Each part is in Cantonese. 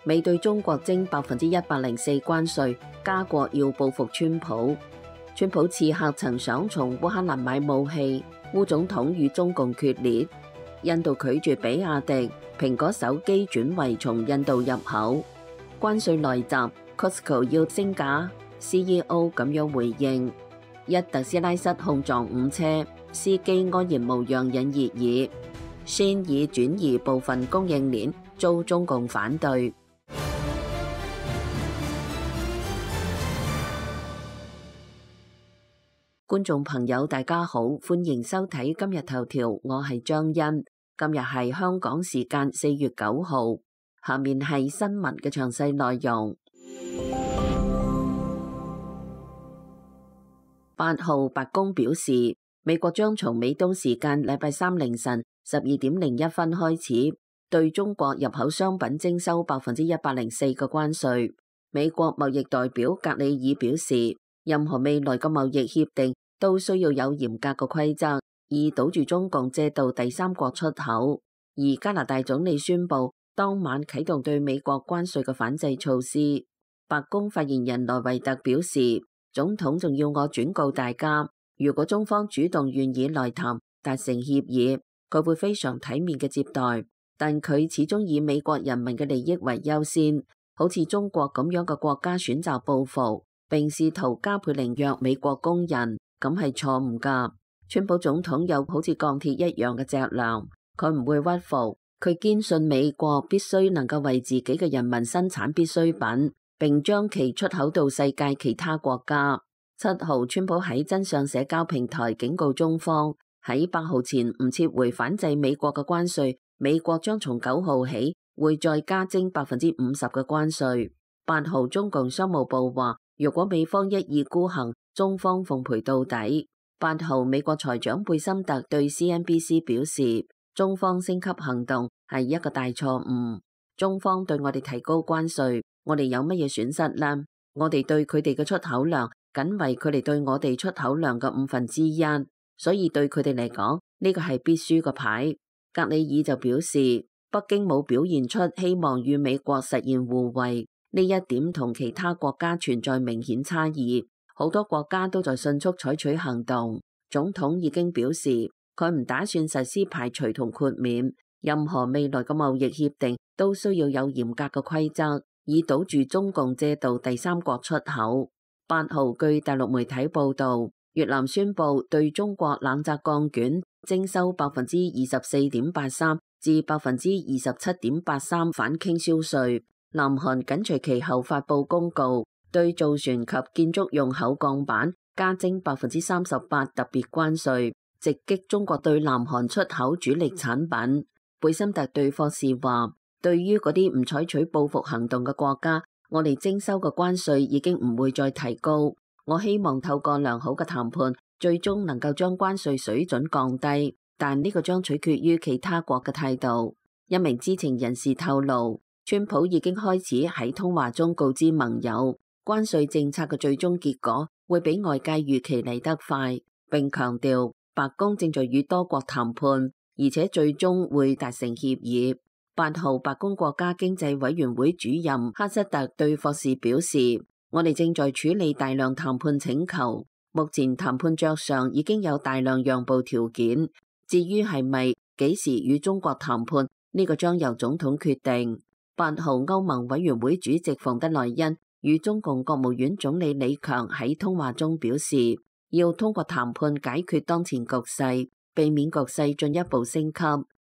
美對中國徵104%關稅，加國要報復川普。川普刺客曾想從烏克蘭買武器，烏總統與中共決裂。印度拒絕比亞迪，蘋果手機轉為從印度入口。關稅來襲 ，Costco 要升價 ，CEO 咁樣回應。一特斯拉失控撞5車，司機安然無恙引熱議。先已轉移部分供應鏈，遭中共反對。觀眾朋友大家好，歡迎收睇今日頭條，我係張欣。今日係香港時間4月9號，下面係新聞嘅詳細內容。8號白宮表示，美國將從美東時間禮拜三凌晨12:01開始，對中國入口商品徵收104%嘅關稅。美國貿易代表格里爾表示，任何未來嘅貿易協定都需要有嚴格嘅規則，以堵住中共借道第三國出口。而加拿大總理宣布當晚啟動對美國關稅嘅反制措施。白宮發言人萊維特表示，總統仲要我轉告大家，如果中方主動願意來談達成協議，佢會非常體面嘅接待，但佢始終以美國人民嘅利益為優先。好似中國咁樣嘅國家選擇報復，並試圖加倍凌虐美國工人，咁係錯誤㗎。川普總統有好似鋼鐵一樣嘅脊梁，佢唔會屈服，佢堅信美國必須能夠為自己嘅人民生產必需品，並將其出口到世界其他國家。7號，川普喺真相社交平台警告中方，喺8號前唔撤回反制美國嘅關稅，美國將從9號起會再加徵50%嘅關稅。8號，中共商務部話，如果美方一意孤行，中方奉陪到底。8號，美國財長貝森特對 CNBC 表示，中方升級行動係一個大錯誤。中方對我哋提高關稅，我哋有乜嘢損失呢？我哋對佢哋嘅出口量僅為佢哋對我哋出口量嘅1/5，所以對佢哋嚟講，呢個係必輸嘅牌。格里爾就表示，北京冇表現出希望與美國實現互惠，呢一點同其他國家存在明顯差異。好多國家都在迅速採取行動。總統已經表示，佢唔打算實施排除同豁免，任何未來嘅貿易協定都需要有嚴格嘅規則，以堵住中共借道第三國出口。8號，據大陸媒體報道，越南宣布對中國冷軋鋼卷徵收24.83%至27.83%反傾銷稅。南韓緊隨其後發布公告，對造船及建築用口鋼板加徵38%特別關稅，直擊中國對南韓出口主力產品。貝森特對霍士話，對於嗰啲唔採取報復行動嘅國家，我哋徵收嘅關稅已經唔會再提高。我希望透過良好嘅談判，最終能夠將關稅水準降低，但呢個將取決於其他國嘅態度。一名知情人士透露，川普已經開始喺通話中告知盟友，關稅政策嘅最終結果會比外界預期嚟得快，並強調白宮正在與多國談判，而且最終會達成協議。8號，白宮國家經濟委員會主任哈瑟特對霍士表示，我哋正在處理大量談判請求，目前談判桌上已經有大量讓步條件，至於係咪幾時與中國談判，呢個將由總統決定。8號，歐盟委員會主席馮德萊恩與中共國務院總理李強喺通話中表示，要通過談判解決當前局勢，避免局勢進一步升級。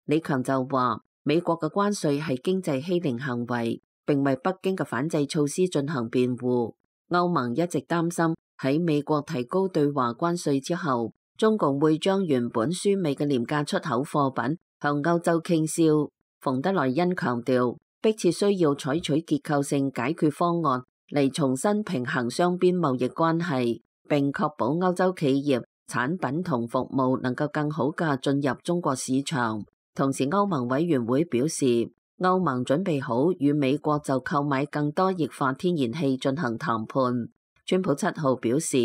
李強就話，美國嘅關稅係經濟欺凌行為，並為北京嘅反制措施進行辯護。歐盟一直擔心喺美國提高對華關稅之後，中共會將原本輸美嘅廉價出口貨品向歐洲傾銷。馮德萊恩強調，迫切需要採取結構性解決方案嚟重新平衡雙邊貿易關係，並確保歐洲企業產品同服務能夠更好地進入中國市場。同時，歐盟委員會表示，歐盟準備好與美國就購買更多液化天然氣進行談判。川普7號表示，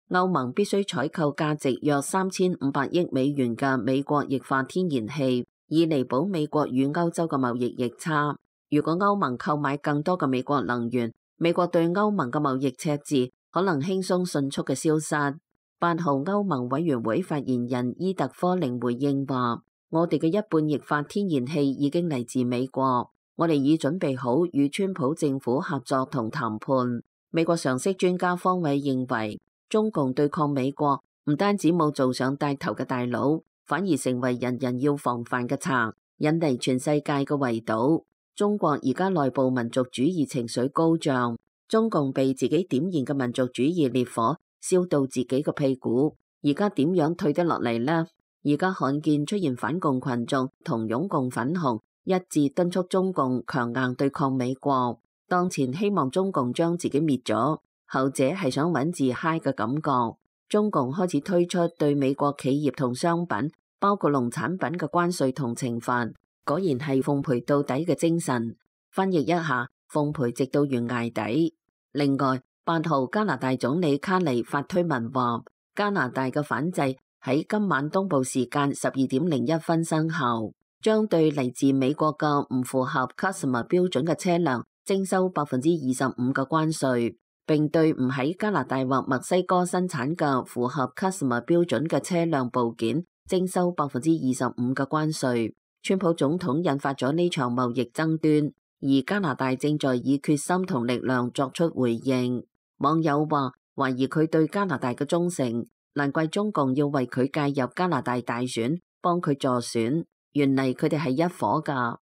歐盟必須採購價值約3500億美元嘅美國液化天然氣，以彌補美國與歐洲嘅貿易逆差。如果歐盟購買更多嘅美國能源，美國對歐盟嘅貿易赤字可能輕鬆迅速嘅消失。8號歐盟委員會發言人伊特科寧回應話：我哋嘅一半液化天然氣已經嚟自美國，我哋已準備好與川普政府合作同談判。美國常識專家方偉認為，中共對抗美國唔單止冇做上帶頭嘅大佬，反而成為人人要防範嘅賊，引嚟全世界嘅圍堵。中國而家內部民族主義情緒高漲，中共被自己點燃嘅民族主義烈火燒到自己嘅屁股，而家點樣退得落嚟呢？而家罕見出現反共群眾同擁共粉紅一致敦促中共強硬對抗美國，當前希望中共將自己滅咗，後者係想揾自嗨嘅感覺。中共開始推出對美國企業同商品，包括農產品嘅關稅同懲罰。果然係奉陪到底嘅精神。翻譯一下，奉陪直到懸崖底。另外，8號加拿大總理卡尼發推文話，加拿大嘅反制喺今晚東部時間12:01生效，將對嚟自美國嘅唔符合 Customs 標準嘅車輛徵收25%嘅關稅，並對唔喺加拿大或墨西哥生產嘅符合 Customs 標準嘅車輛部件徵收25%嘅關稅。川普總統引發咗呢場貿易爭端，而加拿大正在以決心同力量作出回應。網友話懷疑佢對加拿大嘅忠誠，難怪中共要為佢介入加拿大大選，幫佢助選。原嚟佢哋係一夥㗎。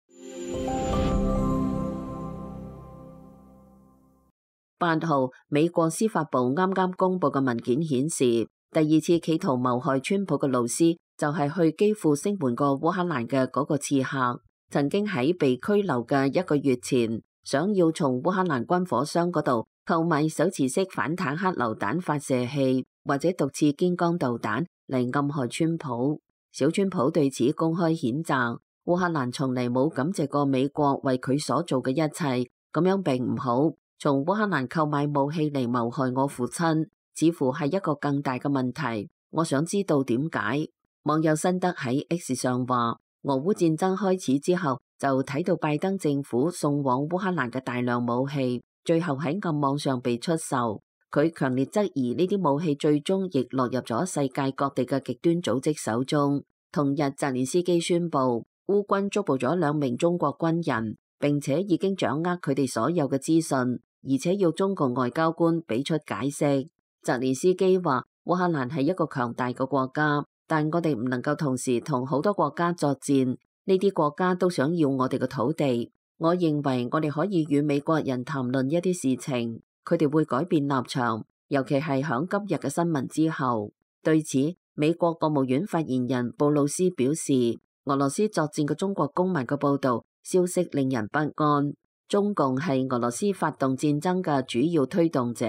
8號，美國司法部啱啱公布嘅文件顯示，第二次企圖謀害川普嘅老師，就係去基輔聲援過烏克蘭嘅嗰個刺客，曾經喺被拘留嘅1個月前，想要從烏克蘭軍火商嗰度購買手持式反坦克榴彈發射器或者毒刺堅剛導彈嚟暗害川普。小川普對此公開譴責，烏克蘭從嚟冇感謝過美國為佢所做嘅一切，咁樣並唔好。從烏克蘭購買武器嚟謀害我父親，似乎係一個更大嘅問題。我想知道點解。網友辛德喺 X 上話，俄烏戰爭開始之後，就睇到拜登政府送往烏克蘭嘅大量武器，最後喺暗網上被出售。佢強烈質疑呢啲武器最終亦落入咗世界各地嘅極端組織手中。同日，澤連斯基宣布，烏軍捉捕咗2名中國軍人，並且已經掌握佢哋所有嘅資訊，而且要中共外交官俾出解釋。澤連斯基話，烏克蘭係一個強大嘅國家，但我哋唔能夠同時同好多國家作戰，呢啲國家都想要我哋嘅土地。我認為我哋可以與美國人談論一啲事情，佢哋會改變立場，尤其係響今日嘅新聞之後。對此，美國國務院發言人布魯斯表示，俄羅斯作戰嘅中國公民嘅報道消息令人不安。中共係俄羅斯發動戰爭嘅主要推動者，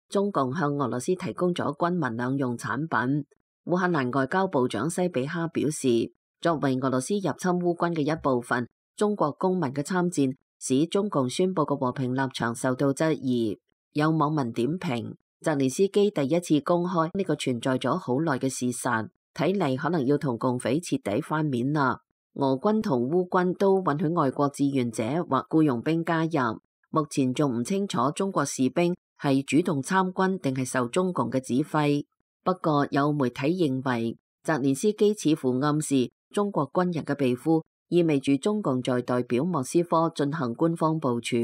中共向俄羅斯提供咗軍民兩用產品。烏克蘭外交部長西比哈表示，作為俄羅斯入侵烏軍嘅一部分，中國公民嘅參戰使中共宣布嘅和平立場受到質疑。有網民點評，澤連斯基第一次公開呢個存在咗好耐嘅事實，睇嚟可能要同共匪徹底翻面啦。俄軍同烏軍都允許外國志願者或僱傭兵加入，目前仲唔清楚中國士兵係主動參軍定係受中共嘅指揮。不過有媒體認為，澤連斯基似乎暗示中國軍人嘅被俘，意味住中共在代表莫斯科進行官方部署。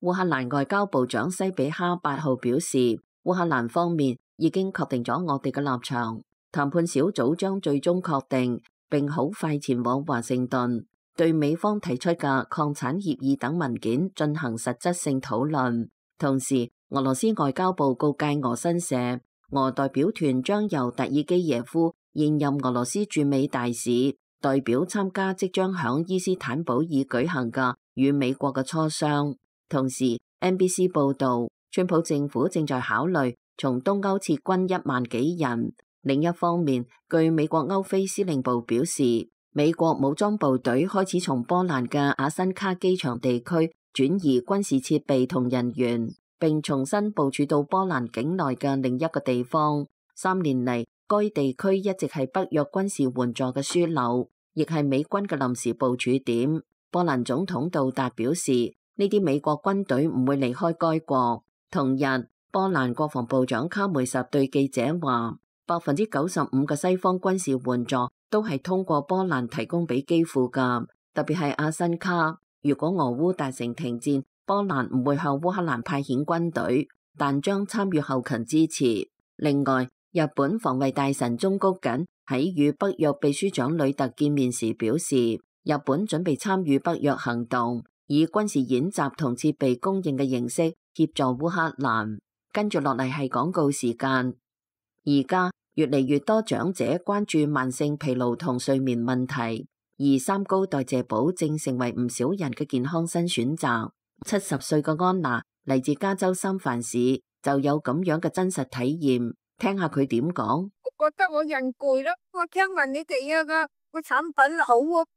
烏克蘭外交部長西比哈8號表示，烏克蘭方面已經確定咗我哋嘅立場，談判小組將最終確定，並好快前往華盛頓，對美方提出嘅礦產協議等文件進行實質性討論。同時，俄羅斯外交部告誡俄新社，俄代表團將由達爾基耶夫現任俄羅斯駐美大使代表參加即將響伊斯坦堡爾舉行嘅與美國嘅磋商。同時 ，NBC 報道，川普政府正在考慮從東歐撤軍1萬幾人。另一方面，據美國歐非司令部表示，美國武裝部隊開始從波蘭嘅阿辛卡機場地區轉移軍事設備同人員，並重新部署到波蘭境內嘅另一個地方。3年嚟，該地區一直係北約軍事援助嘅樞紐，亦係美軍嘅臨時部署點。波蘭總統杜達表示，呢啲美國軍隊唔會離開該國。同日，波蘭國防部長卡梅什對記者話，95%嘅西方軍事援助都係通過波蘭提供俾基輔㗎，特別係阿辛卡。如果俄烏達成停戰，波蘭唔會向烏克蘭派遣軍隊，但將參與後勤支持。另外，日本防衛大臣中谷瑾喺與北約秘書長呂特見面時表示，日本準備參與北約行動，以軍事演習同設備供應嘅形式協助烏克蘭。跟住落嚟係廣告時間。而家越嚟越多長者關注慢性疲勞同睡眠問題，而三高代謝寶正成為唔少人嘅健康新選擇。70歲嘅安娜嚟自加州三藩市，就有咁樣嘅真實體驗，聽下佢點講。我覺得我人攰咯，我聽聞你哋個產品好啊，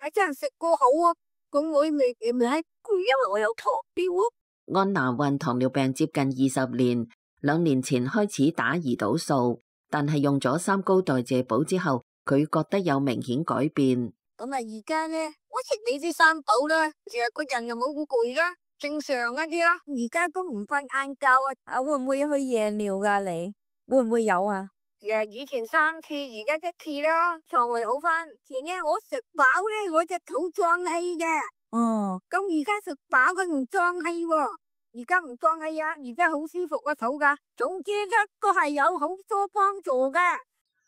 係真係食過好啊，咁我未攰，因為我有糖尿啊。安娜患糖尿病接近20年，2年前開始打胰島素，但係用咗三高代謝寶之後，佢覺得有明顯改變。咁啊，而家咧，我食你啲三寶啦，成日個人又冇咁攰啦，正常一啲啦。而家都唔瞓晏覺啊，會唔會去夜尿噶？你會唔會有啊？以前3次，而家1次啦，腸胃好翻。前日我食飽咧，我隻肚脹氣嘅。哦，咁而家食飽佢唔脹氣喎，而家唔脹氣啊，而家好舒服個肚噶。總之咧，都係有好多幫助嘅。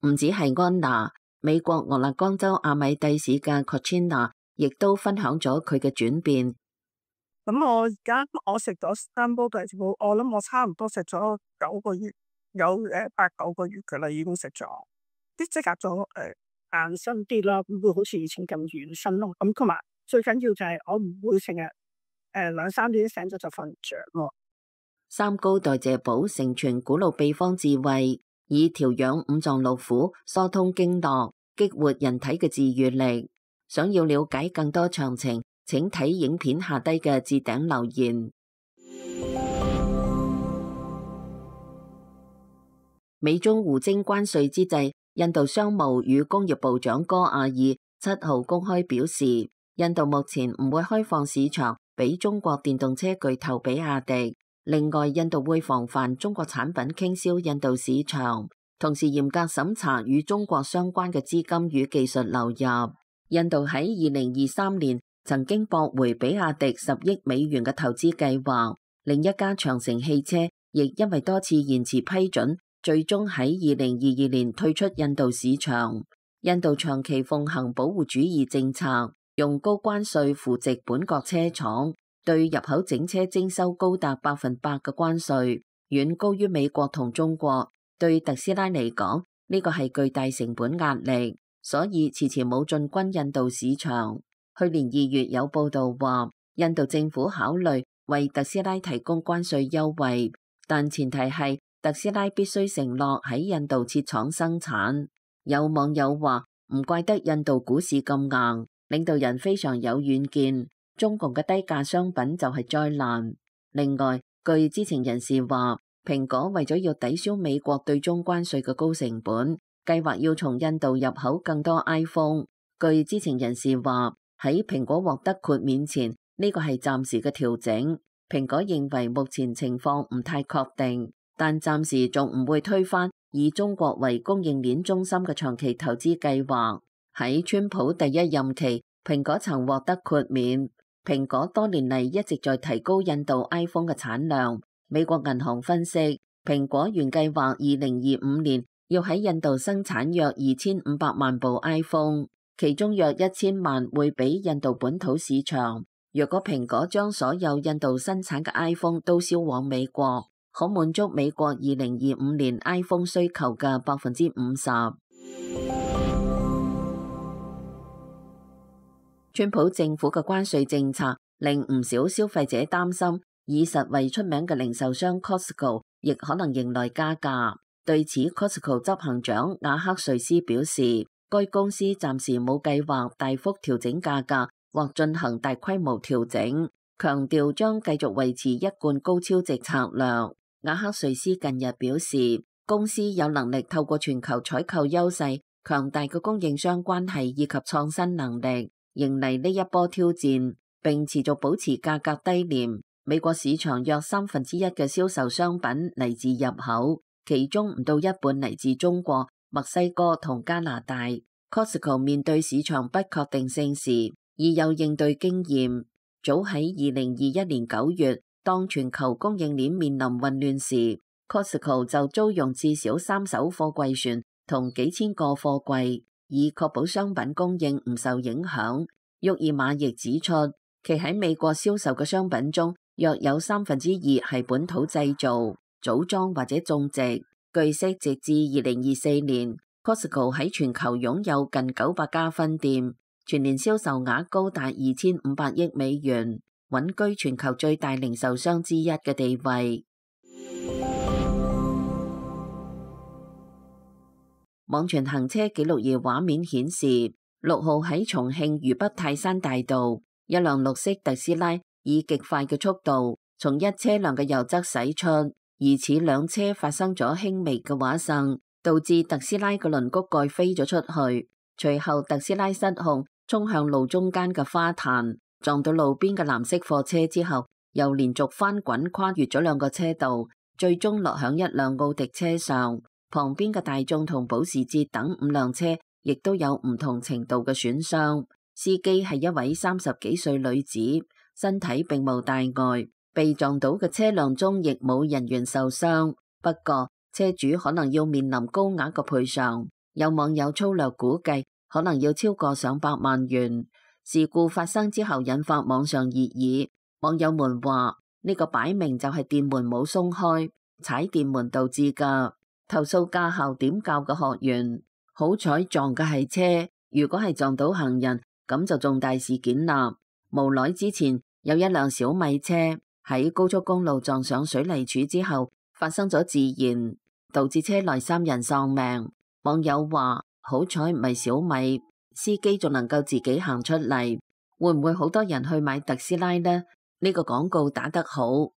唔止係安娜，美國俄勒岡州阿米蒂市嘅 Kochina 亦都分享咗佢嘅轉變。咁我而家我食咗三煲代謝寶，我諗我差唔多食咗9個月，有8、9個月噶啦，已經食咗，啲即刻咗硬身啲啦，唔會好似以前咁軟身咯。咁同埋最緊要就係我唔會成日2、3點醒咗就瞓唔着咯。三高代謝寶承傳古老秘方智慧，以調養五臟六腑、疏通經絡、激活人體嘅治癒力。想要了解更多詳情，請睇影片下低嘅置頂留言。美中互徵關稅之際，印度商務與工業部長戈亞爾7號公開表示，印度目前唔會開放市場俾中國電動車巨頭比亞迪。另外，印度會防範中國產品傾銷印度市場，同時嚴格審查與中國相關嘅資金與技術流入。印度喺2023年曾經駁回比亞迪10億美元嘅投資計劃，另一家長城汽車亦因為多次延遲批准，最終喺2022年退出印度市場。印度長期奉行保護主義政策，用高關稅扶植本國車廠，對入口整車徵收高達100%嘅關稅，遠高於美國同中國。對特斯拉嚟講，呢個係巨大成本壓力，所以遲遲冇進軍印度市場。去年2月有報道話，印度政府考慮為特斯拉提供關稅優惠，但前提係特斯拉必須承諾喺印度設廠生產。有網友話，唔怪得印度股市咁硬，領導人非常有遠見，中共嘅低價商品就係災難。另外，據知情人士話，蘋果為咗要抵消美國對中關稅嘅高成本，計劃要從印度入口更多 iPhone。據知情人士話，喺蘋果獲得豁免前，呢個係暫時嘅調整。蘋果認為目前情況唔太確定，但暫時仲唔會推翻以中國為供應鏈中心嘅長期投資計劃。喺川普第一任期，蘋果曾獲得豁免。蘋果多年嚟一直在提高印度 iPhone 嘅產量。美國銀行分析，蘋果原計劃2025年要喺印度生產約2500萬部 iPhone， 其中約1000萬會俾印度本土市場。若果蘋果將所有印度生產嘅 iPhone 都銷往美國，可滿足美國2025年 iPhone 需求嘅50%。川普政府嘅關稅政策令唔少消費者擔心，以實惠出名嘅零售商 Costco 亦可能迎來加價。對此 Costco 執行長亞克瑞斯表示，該公司暫時冇計劃大幅調整價格或進行大規模調整，強調將繼續維持一貫高超值策略。亞克瑞斯近日表示，公司有能力透過全球採購優勢、強大嘅供應商關係以及創新能力，迎嚟呢一波挑戰，並持續保持價格低廉。美國市場約1/3嘅銷售商品嚟自入口，其中唔到一半嚟自中國、墨西哥同加拿大。Costco 面對市場不確定性時，已有應對經驗。早喺2021年9月，當全球供應鏈面臨混亂時，Costco 就租用至少3艘貨櫃船同幾千個貨櫃，以確保商品供應唔受影響。沃爾瑪亦指出，其喺美國銷售嘅商品中，約有2/3係本土製造、組裝或者種植。據悉，直至2024年，Costco 喺全球擁有近900家分店，全年銷售額高達2500億美元，穩居全球最大零售商之一嘅地位。網傳行車記錄儀畫面顯示，6號喺重慶渝北泰山大道，一輛綠色特斯拉以極快嘅速度從一車輛嘅右側駛出，疑似兩車發生咗輕微嘅剮蹭，導致特斯拉嘅輪轂蓋飛咗出去。隨後特斯拉失控衝向路中間嘅花壇，撞到路邊嘅藍色貨車之後，又連續翻滾跨越咗2個車道，最終落響一輛奧迪車上。旁邊嘅大眾同保時捷等5輛車亦都有唔同程度嘅損傷。司機係一位30幾歲女子，身體並無大礙，被撞倒嘅車輛中亦冇人員受傷。不過車主可能要面臨高額嘅賠償，有網友粗略估計可能要超過上百萬元。事故發生之後引發網上熱議，網友們話呢個擺明就係電門冇鬆開，踩電門導致㗎。投訴駕校點教嘅學員，好彩撞嘅係車，如果係撞到行人，咁就重大事件啦。無奈之前有一輛小米車喺高速公路撞上水泥柱之後發生咗自燃，導致車內3人喪命。網友話好彩唔係小米，司機仲能夠自己行出嚟。會唔會好多人去買特斯拉呢？呢個廣告打得好。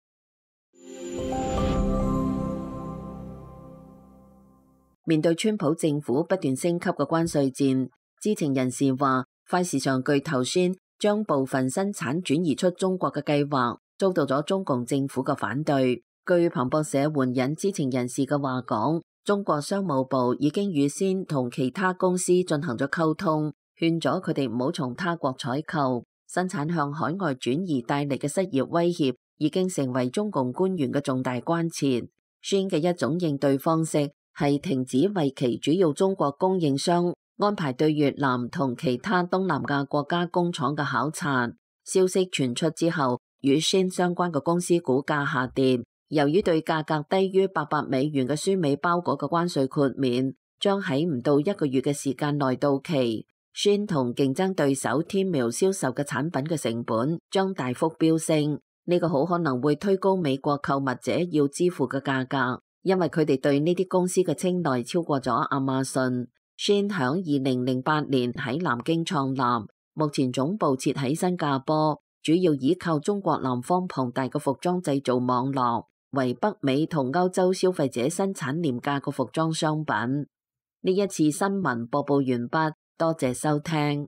面對川普政府不斷升級嘅關稅戰，知情人士話，快時尚巨頭 Shein 將部分生產轉移出中國嘅計劃遭到咗中共政府嘅反對。據彭博社援引知情人士嘅話講，中國商務部已經預先同其他公司進行咗溝通，勸咗佢哋唔好從他國採購。生產向海外轉移帶嚟嘅失業威脅已經成為中共官員嘅重大關切。Shein 嘅一種應對方式係停止為其主要中國供應商安排對越南同其他東南亞國家工廠嘅考察。消息傳出之後，與 Shein 相關嘅公司股價下跌。由於對價格低於800美元嘅輸美包裹嘅關稅豁免將喺唔到1個月嘅時間內到期，Shein同競爭對手 Temu 銷售嘅產品嘅成本將大幅飆升。呢個好可能會推高美國購物者要支付嘅價格，因為佢哋對呢啲公司嘅青睞超過咗亞馬遜。Shein 響2008年喺南京創立，目前總部設喺新加坡，主要依靠中國南方龐大嘅服裝製造網絡，為北美同歐洲消費者生產廉價嘅服裝商品。呢一次新聞播報完畢，多謝收聽。